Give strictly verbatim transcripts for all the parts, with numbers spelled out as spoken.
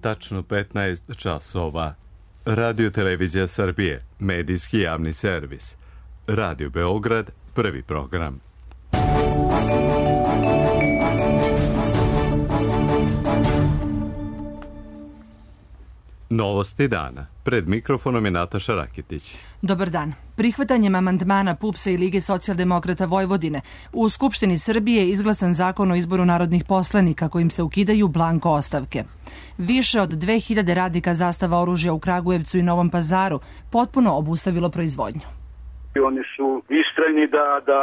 tačno petnaest časova. Radio Televizija Srbije, medijski javni servis. Radio Beograd, prvi program. Novosti dana. Pred mikrofonom je Nataša Rakitić. Dobar dan. Prihvatanjem amandmana P U P S-a i Lige socijaldemokrata Vojvodine u Skupštini Srbije je izglasan zakon o izboru narodnih poslanika kojim se ukidaju blanko ostavke. Više od dve hiljade radnika Zastava oružja u Kragujevcu i Novom Pazaru potpuno obustavilo proizvodnju. Oni su istrajni da, da,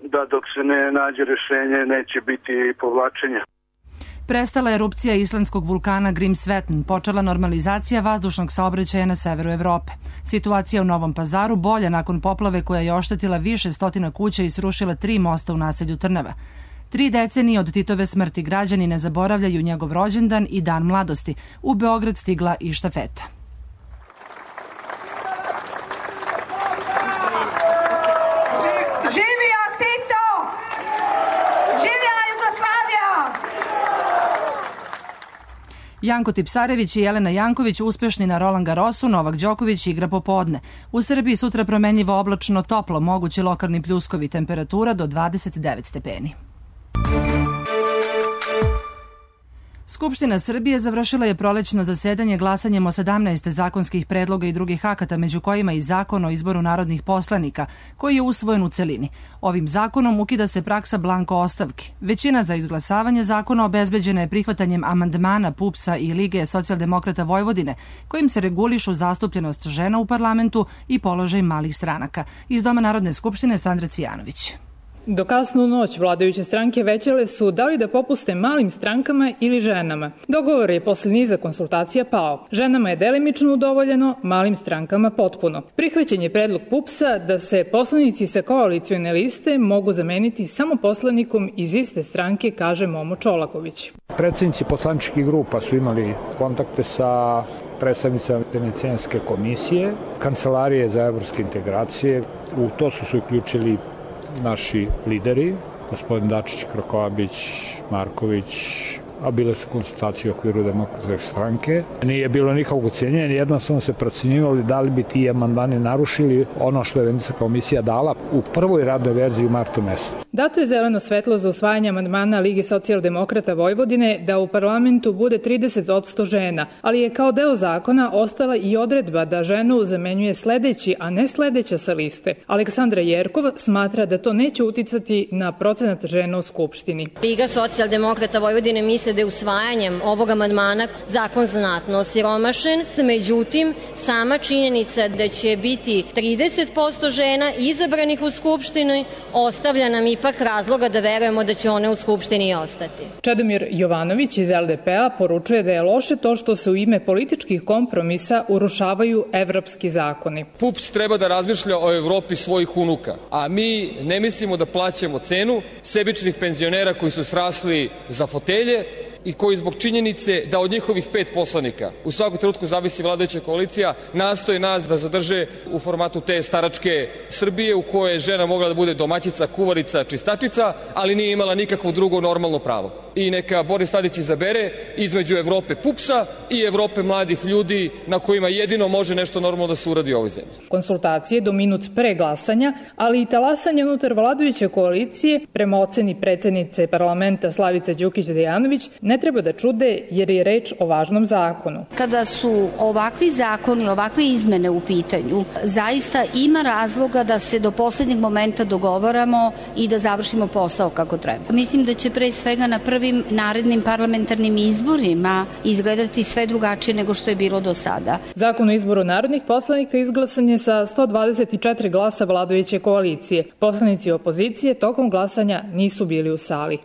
da dok se ne nađe rešenje neće biti povlačenja. Prestala je erupcija islandskog vulkana Grímsvötn, počela normalizacija vazdušnog saobraćaja na severu Evrope. Situacija u Novom Pazaru bolja nakon poplave koja je oštetila više stotina kuća i srušila tri mosta u naselju Trnava. Tri decenije od Titove smrti građani ne zaboravljaju njegov rođendan i dan mladosti. U Beograd stigla i štafeta. Janko Tipsarević i Jelena Janković uspešni na Roland Garrosu, Novak Đoković igra popodne. U Srbiji sutra promenljivo oblačno toplo, mogući lokalni pljuskovi, temperatura do dvadeset devet stepeni. Skupština Srbije završila je prolećno zasedanje glasanjem o sedamnaest zakonskih predloga i drugih akata, među kojima i zakon o izboru narodnih poslanika, koji je usvojen u celini. Ovim zakonom ukida se praksa blanko ostavki. Većina za izglasavanje zakona obezbeđena je prihvatanjem amandmana P U P S-a i Lige socijaldemokrata Vojvodine, kojim se regulišu zastupljenost žena u parlamentu i položaj malih stranaka. Iz Doma Narodne skupštine Sandra Cvijanović. Do kasnu noć vladajuće stranke većale su da li da popuste malim strankama ili ženama. Dogovor je posle niza konsultacija pao. Ženama je delimično udovoljeno, malim strankama potpuno. Prihvaćen je predlog P U P S-a da se poslanici sa koalicione liste mogu zameniti samo poslanikom iz iste stranke, kaže Momo Čolaković. Predsednici poslaničkih grupa su imali kontakte sa predstavnicama Venecijanske komisije, Kancelarije za evropske integracije. U to su se uključili naši lideri, gospodin Dačić, Krkobabić, Marković, a bile su konsultacije u okviru Demokratske stranke. Nije bilo nikakvog cijenjenja, jednostavno se procenjivali da li bi ti amandmani narušili ono što je Venecijanska komisija dala u prvoj radnoj verziji u martu mesecu. Dato je zeleno svetlo za usvajanje amandmana Lige socijaldemokrata Vojvodine da u parlamentu bude trideset posto žena, ali je kao deo zakona ostala i odredba da ženu zamenjuje sledeći, a ne sledeća sa liste. Aleksandra Jerkov smatra da to neće uticati na procenat žena u Skupštini. Liga socijaldemokrata Vojvodine misle da je usvajanjem ovog amandmana zakon znatno osiromašen. Međutim, sama činjenica da će biti trideset posto žena izabranih u Skupštini ostavlja nam ipak razloga da verujemo da će one u Skupštini i ostati. Čedomir Jovanović iz L D P-a poručuje da je loše to što se u ime političkih kompromisa urušavaju evropski zakoni. P U P S treba da razmišlja o Evropi svojih unuka, a mi ne mislimo da plaćamo cenu sebičnih penzionera koji su srasli za fotelje i koji zbog činjenice da od njihovih pet poslanika u svakom trenutku zavisi vladajuća koalicija, nastoje nas da zadrže u formatu te staračke Srbije u kojoj je žena mogla da bude domaćica, kuvarica, čistačica, ali nije imala nikakvo drugo normalno pravo. I neka Boris Tadić izabere između Evrope P U P S-a i Evrope mladih ljudi na kojima jedino može nešto normalno da se uradi u ovoj zemlji. Konsultacije do minut pre glasanja, ali i talasanje unutar vladajuće koalicije, prema oceni predsednice parlamenta Slavice Đukić Dejanović, ne treba da čude jer je reč o važnom zakonu. Kada su ovakvi zakoni, ovakve izmene u pitanju, zaista ima razloga da se do poslednjeg momenta dogovaramo i da završimo posao kako treba. Mislim da će pre svega na prvim narednim parlamentarnim izborima izgledati sve drugačije nego što je bilo do sada. Zakon o izboru narodnih poslanika izglasan je sa sto dvadeset četiri glasa vladajuće koalicije. Poslanici opozicije tokom glasanja nisu bili u sali.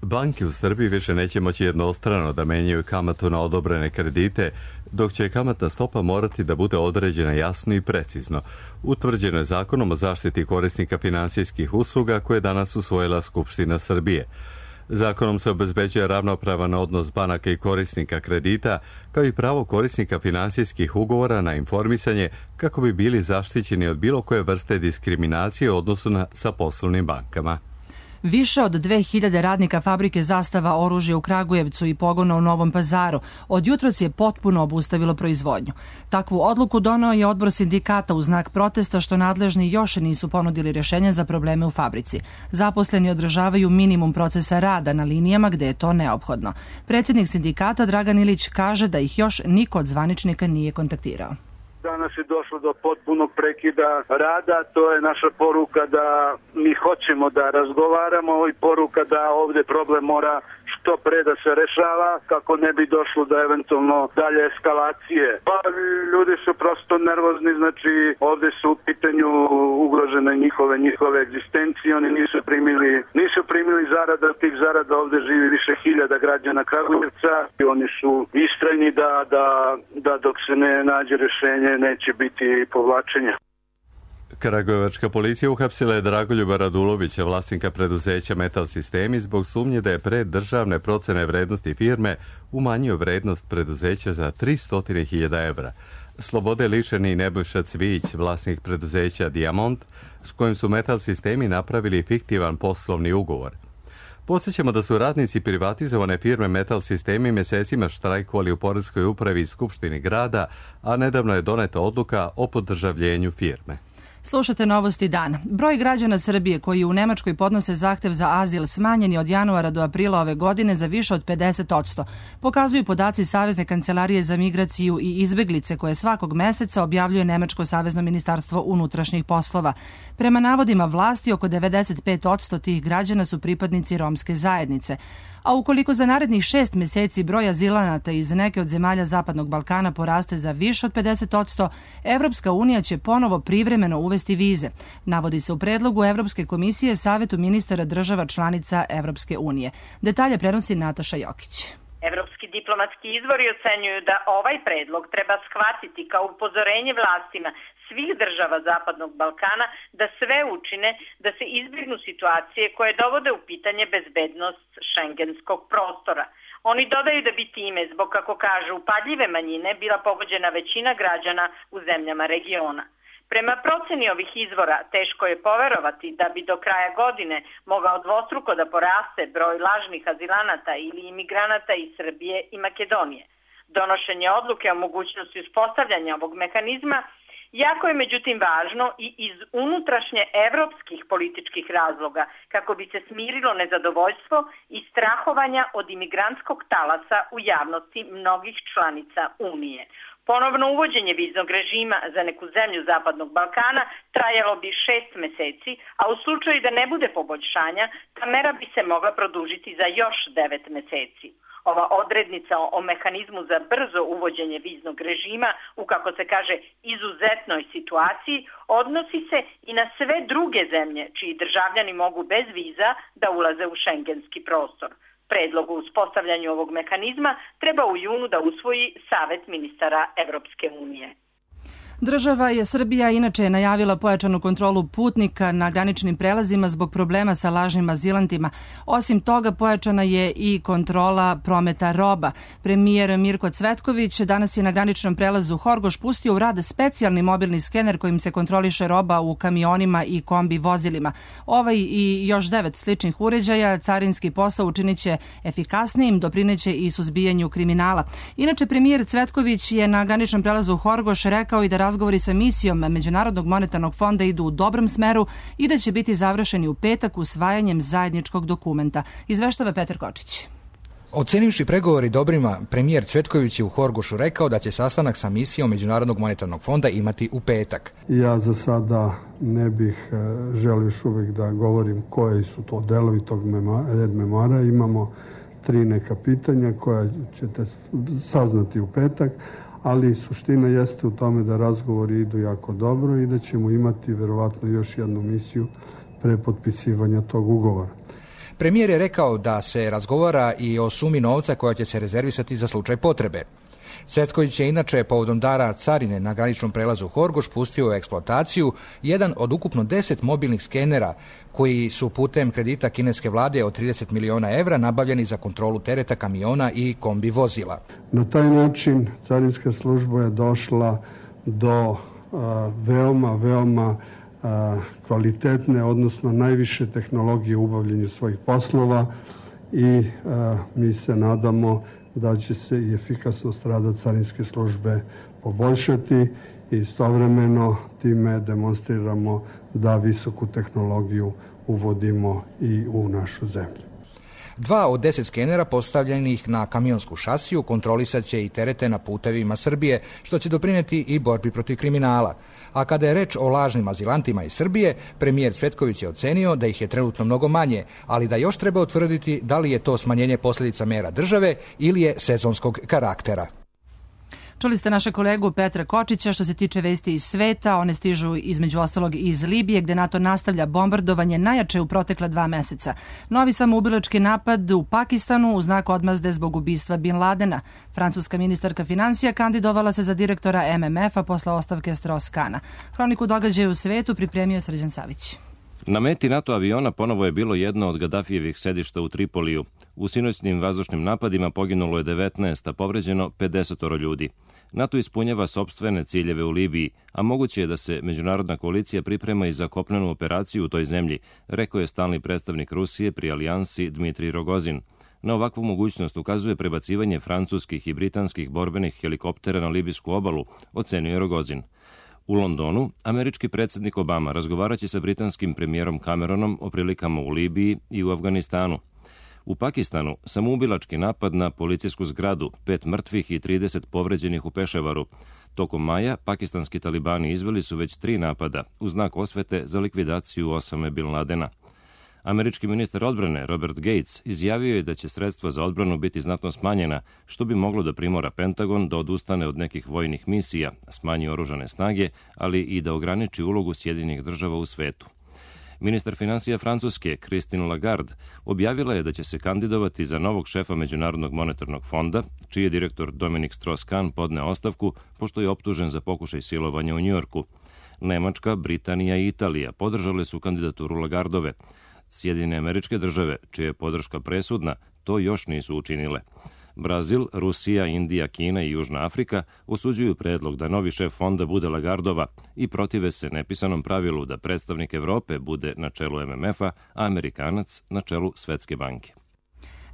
Banke u Srbiji više neće moći jednostrano da menjaju kamatu na odobrene kredite, dok će kamatna stopa morati da bude određena jasno i precizno. Utvrđeno je Zakonom o zaštiti korisnika finansijskih usluga koje je danas usvojila Skupština Srbije. Zakonom se obezbeđuje ravnopravan odnos banaka i korisnika kredita, kao i pravo korisnika finansijskih ugovora na informisanje kako bi bili zaštićeni od bilo koje vrste diskriminacije u odnosu na, sa poslovnim bankama. Više od dve hiljade radnika fabrike Zastava oružja u Kragujevcu i pogona u Novom Pazaru od jutros je potpuno obustavilo proizvodnju. Takvu odluku doneo je odbor sindikata u znak protesta što nadležni još nisu ponudili rješenja za probleme u fabrici. Zaposleni održavaju minimum procesa rada na linijama gde je to neophodno. Predsjednik sindikata Dragan Ilić kaže da ih još niko od zvaničnika nije kontaktirao. Danas je došlo do potpunog prekida rada, to je naša poruka da mi hoćemo da razgovaramo i poruka da ovdje problem mora što pre da se rešava kako ne bi došlo do eventualno dalje eskalacije. Pa ljudi su prosto nervozni, znači ovdje su u pitanju ugrožene njihove njihove egzistencije, oni nisu primili nisu primili zarada, tih zarada ovdje živi više hiljada građana Kragujevca i oni su istrajni da, da, da dok se ne nađe rješenje neće biti povlačenja. Kragujevačka policija uhapsila je Dragoljuba Radulovića, vlasnika preduzeća Metal Sistemi, zbog sumnje da je pre državne procene vrednosti firme umanjio vrednost preduzeća za tristo hiljada evra. Slobode lišeni Nebojša Cvijić, vlasnik preduzeća Diamont, s kojim su Metal Sistemi napravili fiktivan poslovni ugovor. Podsjećamo da su radnici privatizovane firme Metal Sistemi mjesecima štrajkovali u poreskoj upravi i skupštini grada, a nedavno je doneta odluka o podržavljenju firme. Slušate Novosti dana. Broj građana Srbije koji u Nemačkoj podnose zahtev za azil smanjen je od januara do aprila ove godine za više od pedeset odsto. Pokazuju podaci Savezne kancelarije za migraciju i izbeglice koje svakog meseca objavljuje Nemačko savezno ministarstvo unutrašnjih poslova. Prema navodima vlasti, oko devedeset pet odsto tih građana su pripadnici romske zajednice. A ukoliko za narednih šest mjeseci broj azilanata iz neke od zemalja Zapadnog Balkana poraste za više od pedeset odsto, Evropska unija će ponovo privremeno uvesti vize. Navodi se u predlogu Evropske komisije Savetu ministara država članica Evropske unije. Detalje prenosi Nataša Jokić. Evropski diplomatski izvori ocenjuju da ovaj predlog treba shvatiti kao upozorenje vlastima svih država Zapadnog Balkana da sve učine da se izbjegnu situacije koje dovode u pitanje bezbednost šengenskog prostora. Oni dodaju da bi time, zbog kako kažu upadljive manjine, bila pogođena većina građana u zemljama regiona. Prema proceni ovih izvora, teško je poverovati da bi do kraja godine mogao dvostruko da poraste broj lažnih azilanata ili imigranata iz Srbije i Makedonije. Donošenje odluke o mogućnosti uspostavljanja ovog mehanizma jako je međutim važno i iz unutrašnje evropskih političkih razloga kako bi se smirilo nezadovoljstvo i strahovanja od imigrantskog talasa u javnosti mnogih članica Unije. Ponovno uvođenje viznog režima za neku zemlju Zapadnog Balkana trajalo bi šest mjeseci, a u slučaju da ne bude poboljšanja, ta mera bi se mogla produžiti za još devet mjeseci. Ova odrednica o mehanizmu za brzo uvođenje viznog režima u, kako se kaže, izuzetnoj situaciji odnosi se i na sve druge zemlje čiji državljani mogu bez viza da ulaze u šengenski prostor. Predlog o uspostavljanju ovog mehanizma treba u junu da usvoji Savet ministara Evropske unije. Država je Srbija inače najavila pojačanu kontrolu putnika na graničnim prelazima zbog problema sa lažnim azilantima. Osim toga, pojačana je i kontrola prometa roba. Premijer Mirko Cvetković danas je na graničnom prelazu Horgoš pustio u rad specijalni mobilni skener kojim se kontroliše roba u kamionima i kombi vozilima. Ovaj i još devet sličnih uređaja carinski posao učinit će efikasnijim, doprineće i suzbijanju kriminala. Inače, premijer Cvetković je na graničnom prelazu Horgoš rekao i da razgovori sa misijom Međunarodnog monetarnog fonda idu u dobrom smeru i da će biti završeni u petak usvajanjem zajedničkog dokumenta. Izveštava Petar Kočić. Ocenivši pregovori dobrima, premijer Cvetković je u Horgošu rekao da će sastanak sa misijom Međunarodnog monetarnog fonda imati u petak. Ja za sada ne bih želio još uvijek da govorim koji su to delovi tog red memora. Imamo tri neka pitanja koja ćete saznati u petak, ali suština jeste u tome da razgovori idu jako dobro i da ćemo imati verovatno još jednu misiju pre potpisivanja tog ugovora. Premijer je rekao da se razgovara i o sumi novca koja će se rezervisati za slučaj potrebe. Cvetković je inače povodom dara carine na graničnom prelazu Horgoš pustio u eksploataciju jedan od ukupno deset mobilnih skenera koji su putem kredita kineske vlade od trideset miliona evra nabavljeni za kontrolu tereta kamiona i kombi vozila. Na taj način carinska služba je došla do a, veoma, veoma kvalitetne, odnosno najviše tehnologije u obavljanju svojih poslova i mi se nadamo da će se i efikasnost rada carinske službe poboljšati i istovremeno time demonstriramo da visoku tehnologiju uvodimo i u našu zemlju. Dva od deset skenera postavljenih na kamionsku šasiju kontrolisat će i terete na putevima Srbije, što će doprineti i borbi protiv kriminala. A kada je reč o lažnim azilantima iz Srbije, premijer Cvetković je ocenio da ih je trenutno mnogo manje, ali da još treba utvrditi da li je to smanjenje posljedica mera države ili je sezonskog karaktera. Čuli ste naše kolegu Petra Kočića. Što se tiče vesti iz sveta, one stižu između ostalog iz Libije, gde NATO nastavlja bombardovanje najjače u protekla dva meseca. Novi samoubilački napad u Pakistanu u znak odmazde zbog ubistva Bin Ladena. Francuska ministarka financija kandidovala se za direktora M M F-a posle ostavke Strauss-Kahna. Hroniku događaja u svetu pripremio Srđan Savić. Na meti NATO aviona ponovo je bilo jedno od Gadafijevih sedišta u Tripoliju. U sinoćnim vazdušnim napadima poginulo je devetnaest, a povređeno pedeset ljudi. NATO ispunjava sopstvene ciljeve u Libiji, a moguće je da se međunarodna koalicija priprema i za kopnenu operaciju u toj zemlji, rekao je stalni predstavnik Rusije pri alijansi Dmitrij Rogozin. Na ovakvu mogućnost ukazuje prebacivanje francuskih i britanskih borbenih helikoptera na libijsku obalu, ocenio je Rogozin. U Londonu, američki predsjednik Obama razgovaraće sa britanskim premijerom Cameronom o prilikama u Libiji i u Afganistanu. U Pakistanu samoubilački napad na policijsku zgradu, pet mrtvih i trideset povređenih u Peševaru. Tokom maja pakistanski talibani izveli su već tri napada u znak osvete za likvidaciju Osame Bin Ladena. Američki ministar odbrane Robert Gates izjavio je da će sredstva za odbranu biti znatno smanjena, što bi moglo da primora Pentagon da odustane od nekih vojnih misija, smanji oružane snage, ali i da ograniči ulogu Sjedinjenih država u svetu. Ministar financija Francuske, Christine Lagarde, objavila je da će se kandidovati za novog šefa Međunarodnog monetarnog fonda, čiji je direktor Dominique Strauss-Kahn podneo ostavku, pošto je optužen za pokušaj silovanja u Njujorku. Nemačka, Britanija i Italija podržale su kandidaturu Lagardove. Sjedinjene Američke Države, čija je podrška presudna, to još nisu učinile. Brazil, Rusija, Indija, Kina i Južna Afrika osuđuju predlog da novi šef fonda bude Lagardova i protive se nepisanom pravilu da predstavnik Evrope bude na čelu M M F-a, a Amerikanac na čelu Svetske banke.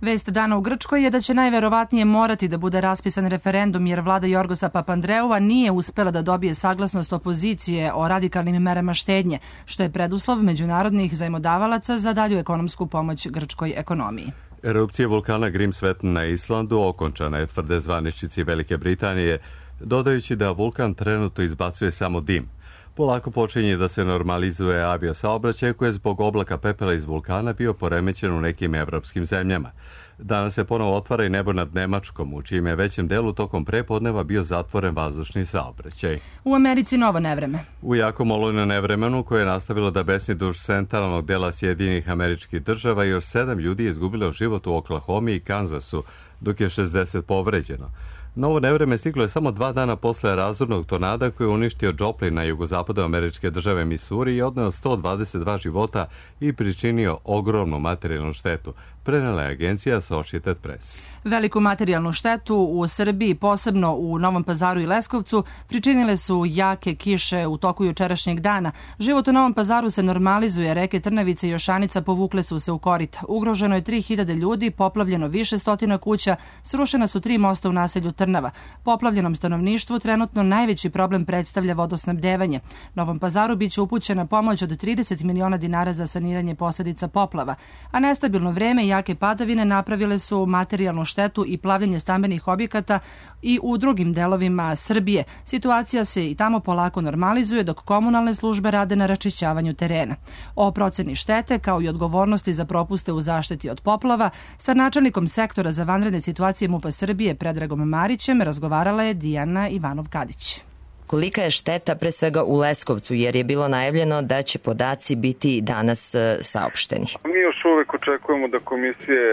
Vest dana u Grčkoj je da će najverovatnije morati da bude raspisan referendum jer vlada Jorgosa Papandreua nije uspela da dobije saglasnost opozicije o radikalnim merama štednje, što je preduslov međunarodnih zajmodavalaca za dalju ekonomsku pomoć grčkoj ekonomiji. Erupcija vulkana Grímsvötn na Islandu okončana je, tvrde zvaničnici Velike Britanije, dodajući da vulkan trenutno izbacuje samo dim. Polako počinje da se normalizuje aviosaobraćaj koji je zbog oblaka pepela iz vulkana bio poremećen u nekim evropskim zemljama. Danas se ponovo otvara i nebo nad Nemačkom, u čijem je većem delu tokom prepodneva bio zatvoren vazdušni saobraćaj. U Americi novo nevreme. U jakom olujnom nevremenu koje je nastavilo da besni duž centralnog dela Sjedinjenih Američkih Država, još sedam ljudi je izgubilo život u Oklahomi i Kanzasu, dok je šezdeset povređeno. Novo nevreme stiglo je samo dva dana posle razornog tornada koji je uništio Joplin na jugozapadu američke države Missouri i odneo sto dvadeset dva života i pričinio ogromnu materijalnu štetu, prenela je agencija Associated Press. Veliku materijalnu štetu u Srbiji, posebno u Novom Pazaru i Leskovcu, pričinile su jake kiše u toku jučerašnjeg dana. Život u Novom Pazaru se normalizuje, reke Trnavica i Jošanica povukle su se u korit. Ugroženo je tri hiljade ljudi, poplavljeno više stotina kuća, srušena su tri mosta u naselju Trnava. Poplavljenom stanovništvu trenutno najveći problem predstavlja vodosnabdevanje. Novom Pazaru biće upućena pomoć od trideset miliona dinara za saniranje posljedica poplava, a nestabilno vreme i jake padavine napravile su materijalnu štetu i plavljenje stambenih objekata i u drugim delovima Srbije. Situacija se i tamo polako normalizuje dok komunalne službe rade na račišćavanju terena. O proceni štete kao i odgovornosti za propuste u zaštiti od poplava sa načelnikom sektora za vanredne situacije MUP-a Srbije Predragom Marićem razgovarala je Dijana Ivanov-Kadić. Kolika je šteta pre svega u Leskovcu, jer je bilo najavljeno da će podaci biti danas saopšteni? Mi još uvek očekujemo da komisije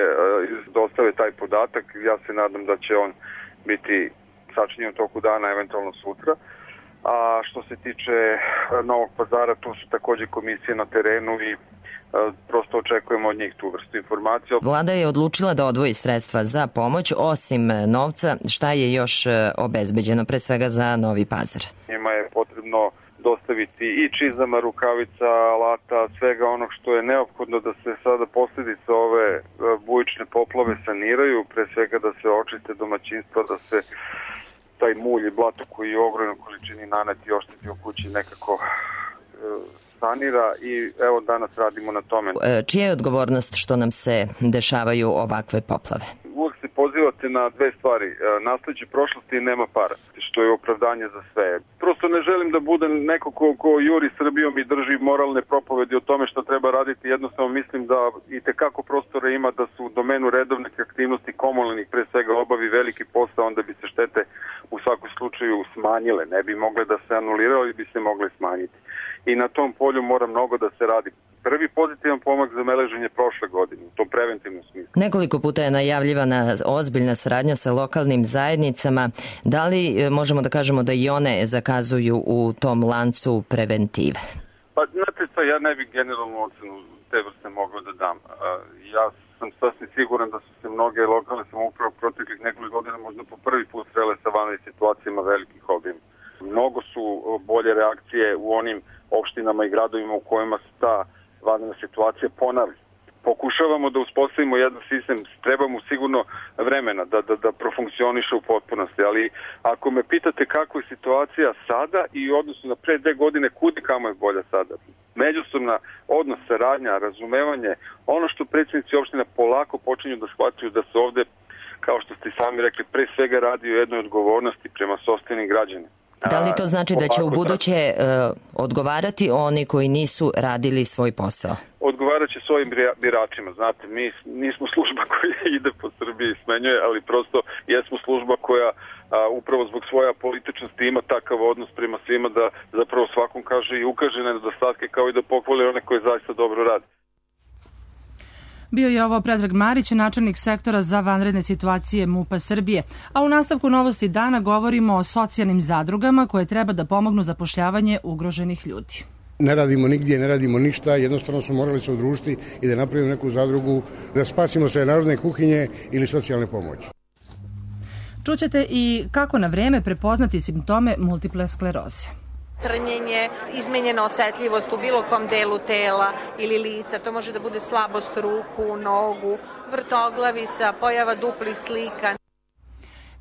dostave taj podatak. Ja se nadam da će on biti sačinjen u toku dana, eventualno sutra. A što se tiče Novog Pazara, tu su takođe komisije na terenu i prosto očekujemo od njih tu vrstu informacija. Vlada je odlučila da odvoji sredstva za pomoć, osim novca, šta je još obezbeđeno pre svega za Novi Pazar? Njima je potrebno dosta dostaviti i čizama, rukavica, alata, svega onog što je neophodno da se sada posljedice ove bujične poplave saniraju, pre svega da se očiste domaćinstva, da se taj mulj i blato koji je u ogromnoj količini naneti i ošteti u kući nekako sanira i evo danas radimo na tome. Čija je odgovornost što nam se dešavaju ovakve poplave? Uvijek se pozivate na dve stvari, nasleđe prošlosti i nema para, što je opravdanje za sve. Prosto ne želim da budem neko ko, ko juri Srbijom i drži moralne propovedi o tome što treba raditi, jednostavno mislim da i tekako prostora ima da su u domenu redovnih aktivnosti komunalnih pre svega obavi veliki posao, onda bi se štete u svakom slučaju smanjile, ne bi mogle da se anuliraju, ali bi se mogle smanjiti. I na tom polju mora mnogo da se radi. Prvi pozitivan pomak za meleženje prošle godine, u tom preventivnom smislu. Nekoliko puta je najavljivana ozbiljna saradnja sa lokalnim zajednicama. Da li možemo da kažemo da i one zakazuju u tom lancu preventive? Pa, znate šta, ja ne bih generalnu ocenu te vrste mogao da dam. Ja sam sasvim siguran da su se mnoge lokalne samouprave proteklih nekoliko godina možda po prvi put srele sa vanrednim situacijama velikih obima. Mnogo su bolje reakcije u onim opštinama i gradovima u kojima se ta vanredna situacija ponavlja. Pokušavamo da uspostavimo jedan sistem, treba mu sigurno vremena da, da, da profunkcioniše u potpunosti, ali ako me pitate kako je situacija sada i u odnosu na pre dve godine, kudi kamo je bolja sada? Međusobna odnos, saradnja, razumevanje, ono što predsjednici opština polako počinju da shvataju da se ovde, kao što ste sami rekli, pre svega radi o jednoj odgovornosti prema sopstvenim građanima. Da li to znači da će u buduće uh, odgovarati oni koji nisu radili svoj posao? Odgovarat će svojim biračima. Znate, mi nismo služba koja ide po Srbiji i smenjuje, ali prosto jesmo služba koja a, upravo zbog svoja političnosti ima takav odnos prema svima da zapravo svakom kaže i ukaže na nedostatke kao i da pohvali one koje zaista dobro rade. Bio je ovo Predrag Marić, načelnik sektora za vanredne situacije MUP-a Srbije. A u nastavku novosti dana govorimo o socijalnim zadrugama koje treba da pomognu zapošljavanje ugroženih ljudi. Ne radimo nigdje, ne radimo ništa, jednostavno smo morali se udružiti i da napravimo neku zadrugu, da spasimo se narodne kuhinje ili socijalne pomoći. Čućete i kako na vreme prepoznati simptome multiple skleroze. Trnjenje, izmenjena osetljivost u bilo kom delu tela ili lica, to može da bude slabost ruku, nogu, vrtoglavica, pojava duplih slika.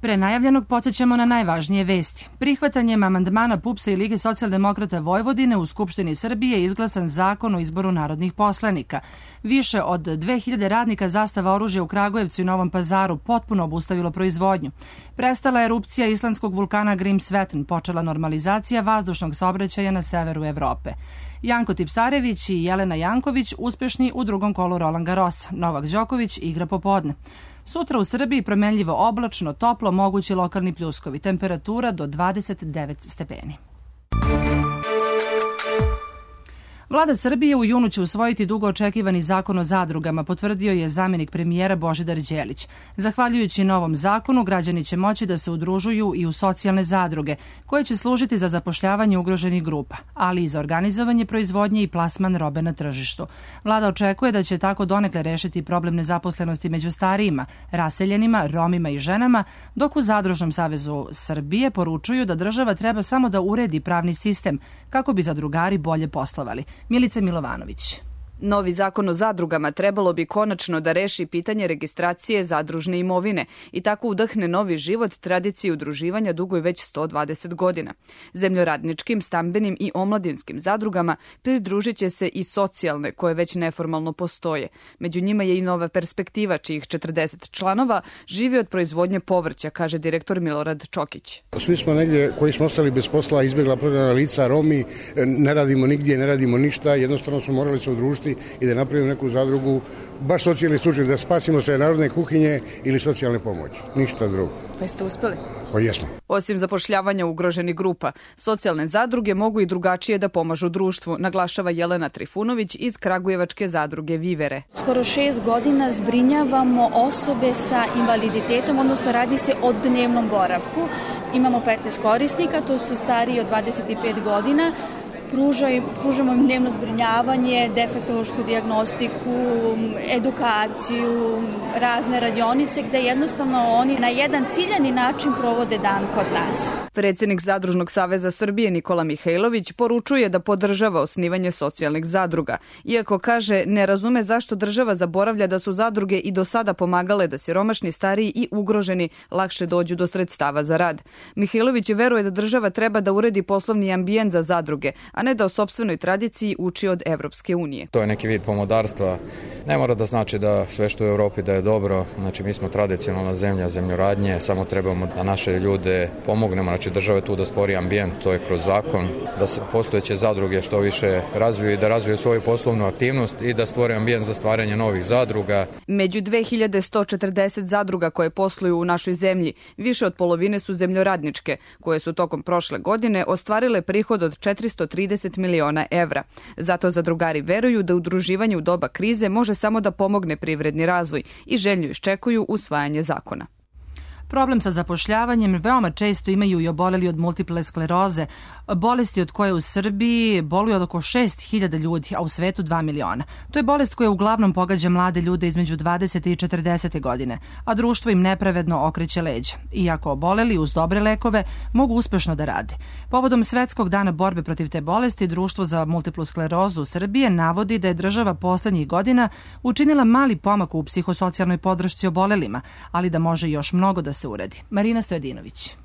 Pre najavljenog podsjećamo na najvažnije vesti. Prihvatanjem amandmana PUPS-a i Lige socijaldemokrata Vojvodine u Skupštini Srbije je izglasan zakon o izboru narodnih poslanika. Više od dve hiljade radnika Zastava oružja u Kragujevcu i Novom Pazaru potpuno obustavilo proizvodnju. Prestala je erupcija islandskog vulkana Grímsvötn, počela normalizacija vazdušnog saobraćaja na severu Evrope. Janko Tipsarević i Jelena Janković uspešni u drugom kolu Roland Garrosa. Novak Đoković igra popodne. Sutra u Srbiji promenljivo oblačno, toplo, mogući lokalni pljuskovi. Temperatura do dvadeset devet stepeni. Vlada Srbije u junu će usvojiti dugo očekivani zakon o zadrugama, potvrdio je zamjenik premijera Božidar Đelić. Zahvaljujući novom zakonu, građani će moći da se udružuju i u socijalne zadruge, koje će služiti za zapošljavanje ugroženih grupa, ali i za organizovanje proizvodnje i plasman robe na tržištu. Vlada očekuje da će tako donekle rešiti problem nezaposlenosti među starijima, raseljenima, Romima i ženama, dok u Zadružnom savezu Srbije poručuju da država treba samo da uredi pravni sistem kako bi zadrugari bolje poslovali. Milica Milovanović. Novi zakon o zadrugama trebalo bi konačno da reši pitanje registracije zadružne imovine i tako udahne novi život tradiciji udruživanja dugoj već sto dvadeset godina. Zemljoradničkim, stambenim i omladinskim zadrugama pridružit će se i socijalne koje već neformalno postoje. Među njima je i Nova perspektiva, čijih četrdeset članova živi od proizvodnje povrća, kaže direktor Milorad Čokić. Svi smo negdje koji smo ostali bez posla, izbjegla prognana lica, Romi, ne radimo nigdje, ne radimo ništa, jednostavno smo morali se udružiti i da napravimo neku zadrugu, baš socijalni slučaj, da spasimo se narodne kuhinje ili socijalne pomoći. Ništa drugo. Pa jeste uspeli? Pa jesmo. Osim zapošljavanja ugroženih grupa, socijalne zadruge mogu i drugačije da pomažu društvu, naglašava Jelena Trifunović iz Kragujevačke zadruge Vivere. Skoro šest godina zbrinjavamo osobe sa invaliditetom, odnosno radi se o dnevnom boravku. Imamo petnaest korisnika, to su stariji od dvadeset pet godina. Pružamo im dnevno zbrinjavanje, defektološku dijagnostiku, edukaciju, razne radionice gde jednostavno oni na jedan ciljani način provode dan kod nas. Predsednik Zadružnog saveza Srbije Nikola Mihajlović poručuje da podržava osnivanje socijalnih zadruga, iako kaže ne razume zašto država zaboravlja da su zadruge i do sada pomagale da siromašni, stariji i ugroženi lakše dođu do sredstava za rad. Mihajlović veruje da država treba da uredi poslovni ambijent za zadruge, a ne da o sopstvenoj tradiciji uči od Evropske unije. To je neki vid pomodarstva. Ne mora da znači da sve što u Evropi da je dobro. Znači, mi smo tradicionalna zemlja, zemljoradnje, samo trebamo da naše ljude pomognemo. Znači, država je tu da stvori ambijent, to je kroz zakon, da se postojeće zadruge što više razviju i da razviju svoju poslovnu aktivnost i da stvore ambijent za stvaranje novih zadruga. Među dve hiljade sto četrdeset zadruga koje posluju u našoj zemlji, više od polovine su zemljoradničke, koje su tokom prošle godine ostvarile prihod od četiristo trideset miliona evra. Zato zadrugari veruju da udruživanje u doba krize može samo da pomogne privredni razvoj i željno iščekuju usvajanje zakona. Problem sa zapošljavanjem veoma često imaju i oboleli od multiple skleroze, bolesti od koje u Srbiji boluje od oko šest hiljada ljudi, a u svetu dva miliona. To je bolest koja uglavnom pogađa mlade ljude između dvadesete i četrdesete godine, a društvo im nepravedno okreće leđa. Iako oboleli uz dobre lekove mogu uspešno da rade. Povodom Svetskog dana borbe protiv te bolesti, Društvo za multiplu sklerozu Srbije navodi da je država poslednjih godina učinila mali pomak u psihosocijalnoj podršci obolelima, ali da može još mnogo da se uredi. Marina Stojadinović.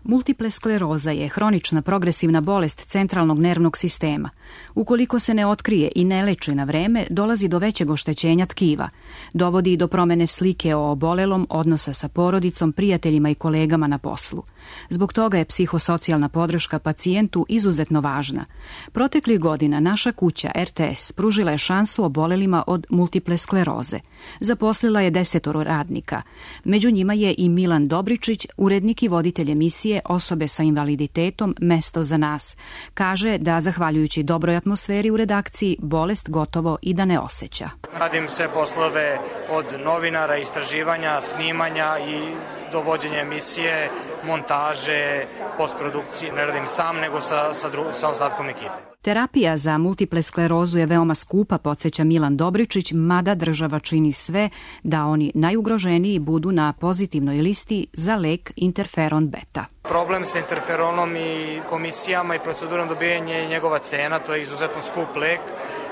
Multiple skleroza je hronična progresivna bolest centralnog nervnog sistema. Ukoliko se ne otkrije i ne leči na vreme, dolazi do većeg oštećenja tkiva. Dovodi i do promene slike o obolelom, odnosa sa porodicom, prijateljima i kolegama na poslu. Zbog toga je psihosocijalna podrška pacijentu izuzetno važna. Proteklih godina naša kuća R T S pružila je šansu obolelima od multiple skleroze. Zaposlila je desetoro radnika. Među njima je i Milan Dobričić, urednik i voditelj emisije Osobe sa invaliditetom, Mesto za nas. Kaže da, zahvaljujući dobroj atmosferi u redakciji, bolest gotovo i da ne osjeća. Radim sve poslove od novinara, istraživanja, snimanja i dovođenja emisije, montaže, postprodukcije. Ne radim sam, nego sa, sa, dru, sa ostatkom ekipe. Terapija za multiple sklerozu je veoma skupa, podsjeća Milan Dobričić, mada država čini sve da oni najugroženiji budu na pozitivnoj listi za lek interferon beta. Problem sa interferonom i komisijama i procedurom dobijanja je njegova cena, to je izuzetno skup lek,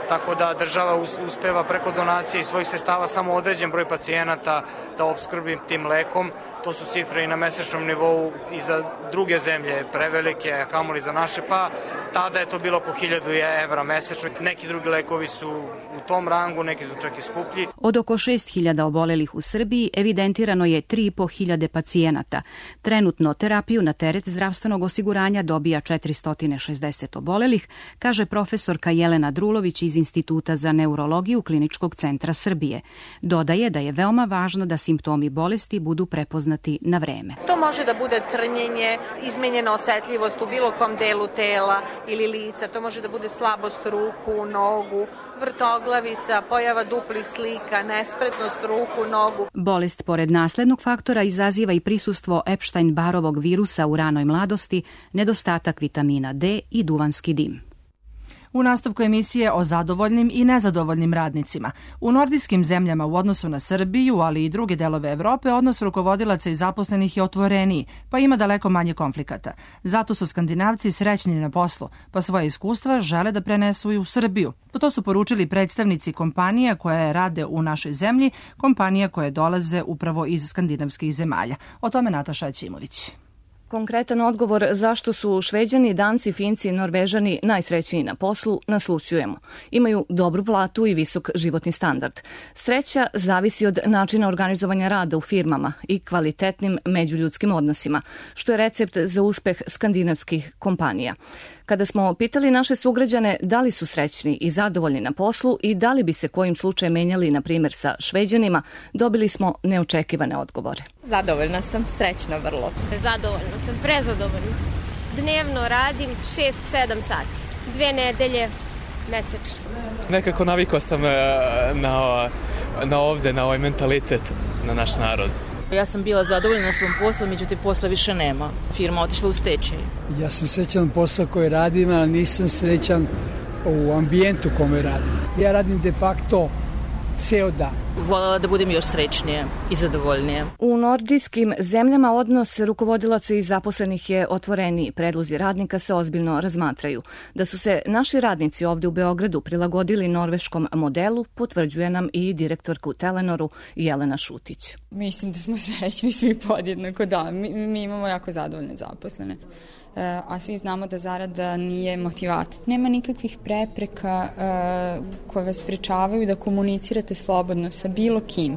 tako da država uspeva preko donacije i svojih sredstava samo određen broj pacijenata da opskrbi tim lekom. To su cifre i na mesečnom nivou i za druge zemlje prevelike, a kamoli za naše, pa tada je to bilo oko hiljadu evra mesečno. Neki drugi lekovi su u tom rangu, neki su čak i skuplji. Od oko šest hiljada obolelih u Srbiji evidentirano je tri i po hiljade pacijenata. Trenutno terapiju na teret zdravstvenog osiguranja dobija četiristo šezdeset obolelih, kaže profesorka Jelena Drulović iz Instituta za neurologiju Kliničkog centra Srbije. Dodaje da je veoma važno da simptomi bolesti budu prepoznati na vreme. To može da bude trnjenje, izmenjena osetljivost u bilo kom delu tela ili lica, to može da bude slabost ruku, nogu, vrtoglavica, pojava duplih slika, nespretnost ruku, nogu. Bolest pored naslednog faktora izaziva i prisustvo Epstein-Barovog virusa u ranoj mladosti, nedostatak vitamina D i duvanski dim. U nastavku emisije o zadovoljnim i nezadovoljnim radnicima. U nordijskim zemljama u odnosu na Srbiju, ali i druge delove Evrope, odnos rukovodilaca i zaposlenih je otvoreniji, pa ima daleko manje konflikata. Zato su Skandinavci srećni na poslu, pa svoje iskustva žele da prenesu i u Srbiju. To su poručili predstavnici kompanija koje rade u našoj zemlji, kompanija koje dolaze upravo iz skandinavskih zemalja. O tome Nataša Ćimović. Konkretan odgovor zašto su Šveđani, Danci, Finci i Norvežani najsrećniji na poslu naslućujemo. Imaju dobru platu i visok životni standard. Sreća zavisi od načina organizovanja rada u firmama i kvalitetnim međuljudskim odnosima, što je recept za uspeh skandinavskih kompanija. Kada smo pitali naše sugrađane da li su srećni i zadovoljni na poslu i da li bi se kojim slučajem menjali, na primjer, sa Šveđanima, dobili smo neočekivane odgovore. Zadovoljna sam, srećna vrlo. Zadovoljna sam, prezadovoljna. Dnevno radim šest sedam sati, dve nedelje mesečno. Nekako navikao sam na, na ovde, na ovaj mentalitet, na naš narod. Ja sam bila zadovoljna na svom poslu, međutim posla više nema. Firma otišla u stečaj. Ja sam srećan posao koji radim, ali nisam srećan u ambijentu kome radim. Ja radim de facto ceo dan. voljela da budem još srećnije i zadovoljnije. U nordijskim zemljama odnos rukovodilaca i zaposlenih je otvoreniji. Predlozi radnika se ozbiljno razmatraju. Da su se naši radnici ovde u Beogradu prilagodili norveškom modelu, potvrđuje nam i direktorka u Telenoru Jelena Šutić. Mislim da smo srećni svi podjednako, da. Mi, mi imamo jako zadovoljne zaposlene. A svi znamo da zarada nije motivator. Nema nikakvih prepreka koje vas sprečavaju da komunicirate slobodno sa bilo kim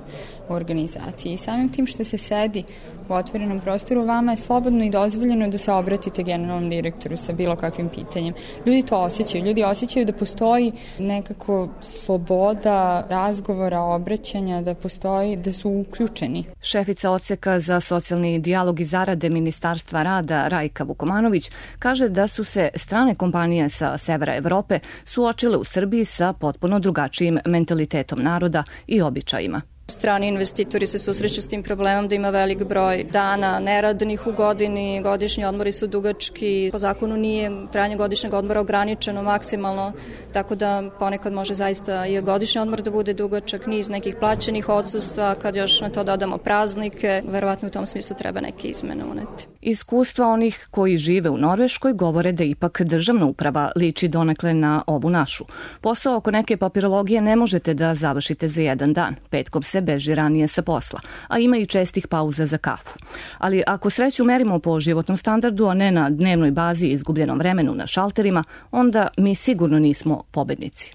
u organizaciji. I samim tim što se sedi u otvorenom prostoru, vama je slobodno i dozvoljeno da se obratite generalnom direktoru sa bilo kakvim pitanjem. Ljudi to osjećaju. Ljudi osjećaju da postoji nekako sloboda razgovora, obraćanja, da postoji, da su uključeni. Šefica odseka za socijalni dijalog i zarade Ministarstva rada Rajka Vukomanović kaže da su se strane kompanije sa severa Evrope suočile u Srbiji sa potpuno drugačijim mentalitetom naroda i običajima. Strani investitori se susreću s tim problemom da ima velik broj dana neradnih u godini, godišnji odmori su dugački, po zakonu nije trajanje godišnjeg odmora ograničeno maksimalno, tako da ponekad može zaista i godišnji odmor da bude dugačak, niz nekih plaćenih odsustva, kad još na to dodamo praznike, verovatno u tom smislu treba neke izmene uneti. Iskustva onih koji žive u Norveškoj govore da ipak državna uprava liči donekle na ovu našu. Posao oko neke papirologije ne možete da završite za jedan dan. Petkom se beži ranije sa posla, a ima i čestih pauza za kafu. Ali ako sreću merimo po životnom standardu, a ne na dnevnoj bazi i izgubljenom vremenu na šalterima, onda mi sigurno nismo pobednici.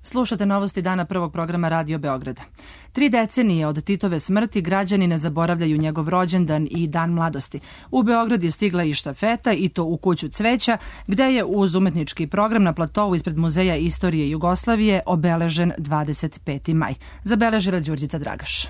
Slušate novosti dana prvog programa Radio Beograda. Tri decenije od Titove smrti građani ne zaboravljaju njegov rođendan i dan mladosti. U Beograd je stigla i štafeta, i to u Kuću cveća, gde je uz umetnički program na platovu ispred Muzeja istorije Jugoslavije obeležen dvadeset peti maj. Zabeležila Đurđica Dragaš.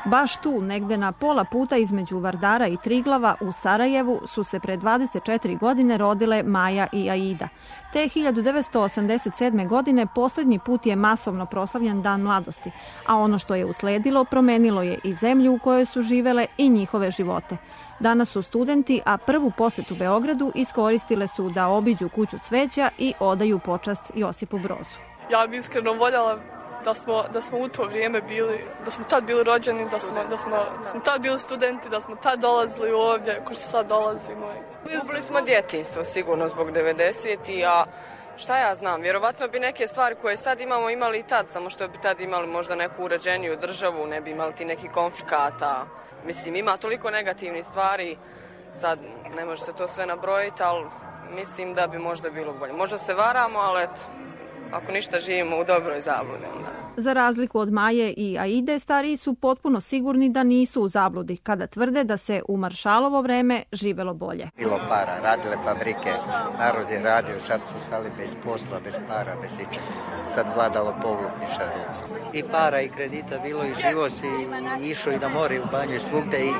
Baš tu, negde na pola puta između Vardara i Triglava u Sarajevu su se pre dvadeset četiri godine rodile Maja i Aida. Te hiljadu devetsto osamdeset sedme. godine poslednji put je masovno proslavljan Dan mladosti, a ono što je usledilo promenilo je i zemlju u kojoj su živele i njihove živote. Danas su studenti, a prvu posetu Beogradu iskoristile su da obiđu Kuću cveća i odaju počast Josipu Brozu. Ja bih iskreno voljela da smo, da smo u to vrijeme bili, da smo tad bili rođeni, da smo, da smo, da smo tad bili studenti, da smo tad dolazili ovdje, ko što sad dolazimo. Izgubili smo djetinjstvo sigurno zbog devedesetih, a šta ja znam, vjerovatno bi neke stvari koje sad imamo imali i tad, samo što bi tad imali možda neku uređeniju državu, ne bi imali ti neki konflikata. Mislim, ima toliko negativnih stvari, sad ne može se to sve nabrojiti, ali mislim da bi možda bilo bolje. Možda se varamo, ali eto, ako ništa živimo u dobroj zabludi onda. Za razliku od Maje i Aide, stariji su potpuno sigurni da nisu u zabludi kada tvrde da se u Maršalovo vreme živelo bolje. Bilo para, radile fabrike, narod je radio, sad su stali bez posla, bez para, bez ičega. Sad vladalo povlukniša ruku. I para i kredita bilo i život si išao i na more i u banju i svugde i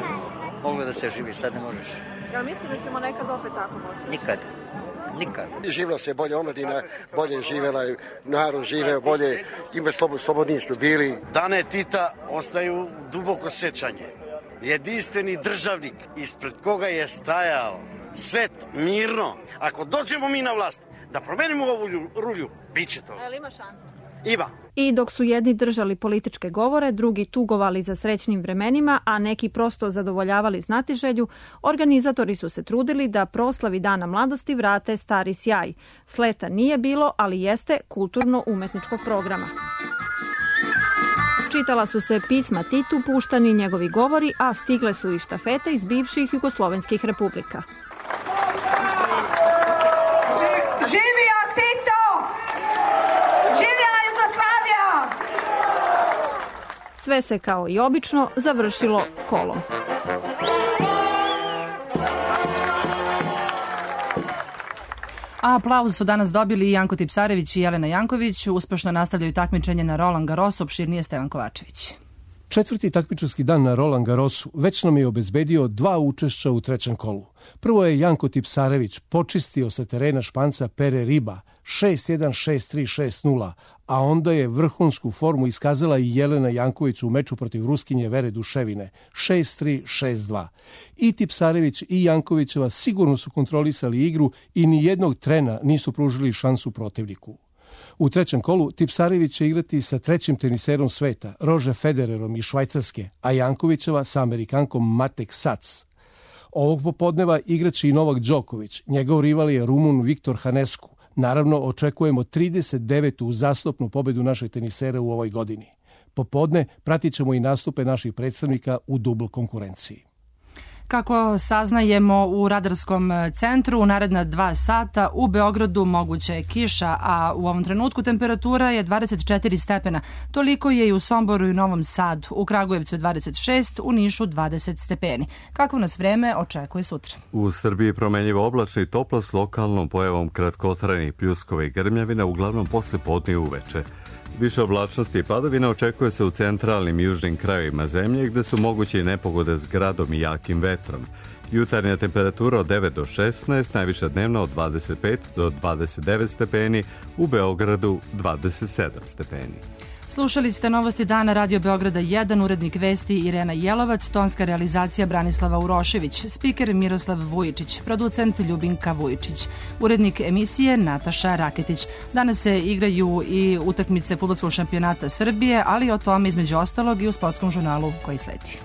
moglo da se živi, sad ne možeš. Ja mislim da ćemo nekad opet tako moći? Nikad. Nikad. Živjelo se bolje, omladina bolje živjela, narod živeo bolje, ima slobodniji su bili. Dane Tita ostaju duboko sećanje. Jedinstveni državnik ispred koga je stajao svet mirno. Ako dođemo mi na vlast da promenimo ovu rulju, bit će to. Ali ima šanse? Ima. I dok su jedni držali političke govore, drugi tugovali za srećnim vremenima, a neki prosto zadovoljavali znatiželju, organizatori su se trudili da proslavi Dana mladosti vrate stari sjaj. Sleta nije bilo, ali jeste kulturno-umetničkog programa. Čitala su se pisma Titu, puštani njegovi govori, a stigle su i štafete iz bivših jugoslovenskih republika. Živio Tito! Živjela Jugoslavija! Sve se kao i obično završilo kolom. A aplauz su danas dobili i Janko Tipsarević i Jelena Janković. Uspešno nastavljaju takmičenje na Roland Garrosu, opširnije Stevan Kovačević. Četvrti takmičarski dan na Roland Garrosu već nam je obezbedio dva učešća u trećem kolu. Prvo je Janko Tipsarević počistio sa terena Španca Pere Riba šest jedan, šest tri, šest nula, a onda je vrhunsku formu iskazala i Jelena Janković u meču protiv Ruskinje Vere Duševine šest tri, šest dva. I Tipsarević i Jankovićeva sigurno su kontrolisali igru i ni jednog trena nisu pružili šansu protivniku. U trećem kolu Tipsarević će igrati sa trećim teniserom sveta, Roger Federerom iz Švajcarske, a Jankovićeva sa Amerikankom Matek Sac. Ovog popodneva igraće i Novak Đoković, njegov rival je Rumun Viktor Hanescu. Naravno, očekujemo trideset devetu uzastopnu pobedu našeg tenisera u ovoj godini. Popodne pratit ćemo i nastupe naših predstavnika u dubl konkurenciji. Kako saznajemo u radarskom centru, u naredna dva sata u Beogradu moguća je kiša, a u ovom trenutku temperatura je dvadeset četiri stepena. Toliko je i u Somboru i Novom Sadu, u Kragujevcu je dvadeset šest, u Nišu dvadeset stepeni. Kako nas vreme očekuje sutra? U Srbiji promenljivo oblačno i toplo s lokalnom pojavom kratkotrajnih pljuskova i grmljavina, uglavnom posle podne i uveče. Više oblačnosti i padavina očekuje se u centralnim i južnim krajevima zemlje, gde su moguće i nepogode s gradom i jakim vetrom. Jutarnja temperatura od devet do šesnaest, najviša dnevna od dvadeset pet do dvadeset devet stepeni, u Beogradu dvadeset sedam stepeni. Slušali ste novosti dana Radio Beograda jedan, urednik vesti Irena Jelovac, tonska realizacija Branislava Urošević, spiker Miroslav Vujičić, producent Ljubinka Vujičić, urednik emisije Nataša Raketić. Danas se igraju i utakmice fudbalskog šampionata Srbije, ali o tome između ostalog i u sportskom žurnalu koji sledi.